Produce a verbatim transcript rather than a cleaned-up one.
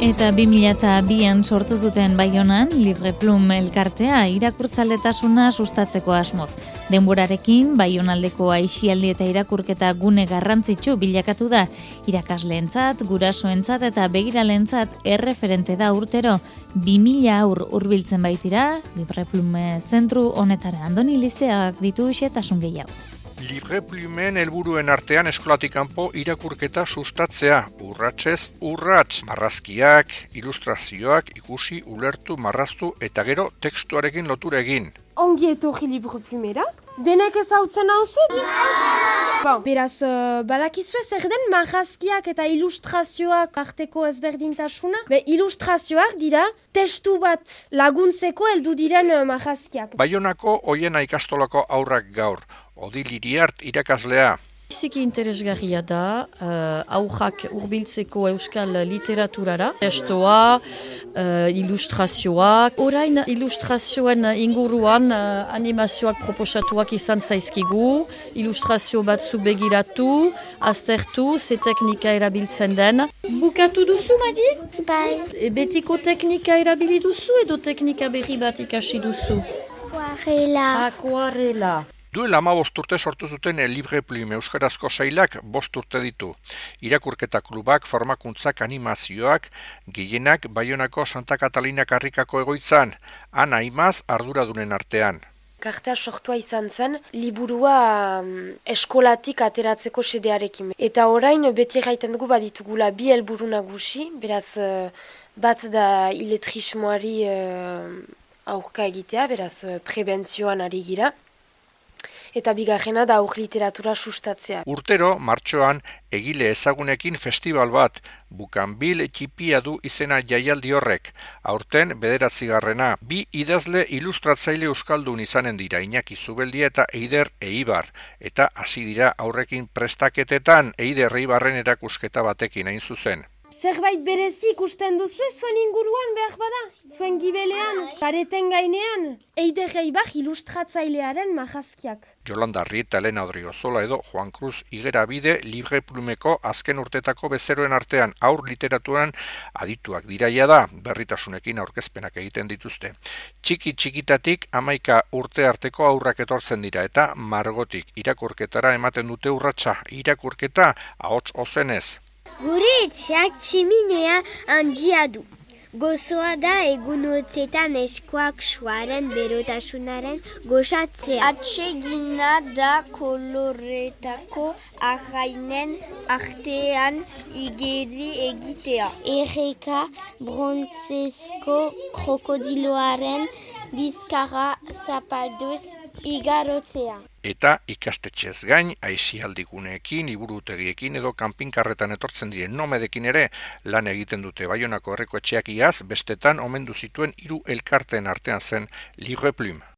Eta bi mila bian sortu zuten Baionan Libre Plum elkartea irakurtzaletasuna sustatzeko asmoz. Denborarekin Baionaldeko aisialdi eta irakurketa gune garrantzitsu bilakatu da. Irakasleentzat, gurasoentzat eta begiralentzat erreferente da urtero. bi mila aur hurbiltzen baitira Libre Plum zentru honetara. Andoni Lizeak ditu xehetasun gehiago. Libre Plumen helburuen artean eskolatik kanpo irakurketa sustatzea, urratsez urrats, marrazkiak, ilustrazioak ikusi, ulertu, marraztu eta gero tekstuarekin lotura egin. Ongi etorri Libre Plumera? Denek ezautzen hau zuen? Bon, beraz, uh, badakizue zer den marrazkiak eta ilustrazioak arteko ezberdintasuna? Be, ilustrazioak dira testu bat laguntzeko heldu diren uh, marrazkiak. Baionako Oiena ikastolako haurrak gaur. Odil Iriart irakaslea. Biziki interesgarria da, uh, aurrak hurbiltzeko euskal literaturara. Testoa, uh, ilustrazioak. Orain ilustrazioen inguruan uh, animazioak proposatuak izan zaizkigu. Ilustrazio batzu begiratu, aztertu, ze teknika erabiltzen den. Bukatu duzu, Madi? Bai. E, betiko teknika erabili duzu edo teknika berri bat ikasi duzu? Akuarela. Akuarela. Duela hamabost urte sortu zuten Libre Plume euskarazko sailak bost urte ditu. Irakurketa klubak, formakuntzak, animazioak, gehienak Baionako Santa Katalina karrikako egoitzan, Ana Imaz arduradunen artean. Kartea sortua izan zen, liburua um, eskolatik ateratzeko sedearekin. Eta orain beti gaiten dugu baditugula bi helburu nagusi, beraz uh, bat da iletrismoari uh, aurka egitea, beraz uh, prebentzioan ari gira. Eta bigarrena da aur literatura sustatzea. Urtero, martxoan, egile ezagunekin festival bat, Bukanbil txipia du izena jaialdi horrek. Aurten, bederatzigarrena, bi idazle ilustratzaile euskaldun izanen dira, Iñaki Zubeldia eta Eider Eibar. Eta hasi dira aurrekin prestaketetan Eider Eibarren erakusketa batekin hain zuzen. Zerbait berezi ikusten duzu zuen inguruan behar bada? Zuen gibelean, pareten gainean, Eider Eibar ilustratzailearen marrazkiak. Yolanda Rieta, Elena Odriozola edo Juan Cruz Igerabide Libre Plumeko azken urtetako bezeroen artean aur literaturan adituak diraia da, berritasunekin aurkezpenak egiten dituzte. Txiki txikitatik hamaika urte arteko aurrak etortzen dira eta margotik irakurketara ematen dute urratsa, irakurketa ahots ozenez. Gure etxeak tximinea handia du. Gozoa da egunotzetan eskuak suaren berotasunaren gozatzea. Atsegina da koloretako arrainen artean igeri egitea. Erreka brontzezko krokodiloaren bizkarra zapalduz igarotzea. Eta ikastetxez gain, aisialdiguneekin, liburutegiekin edo kanpinkarretan etortzen diren nomedekin ere lan egiten dute. Baionako herriko etxeak iaz, bestetan omendu zituen hiru elkarteen artean zen Libre Plume.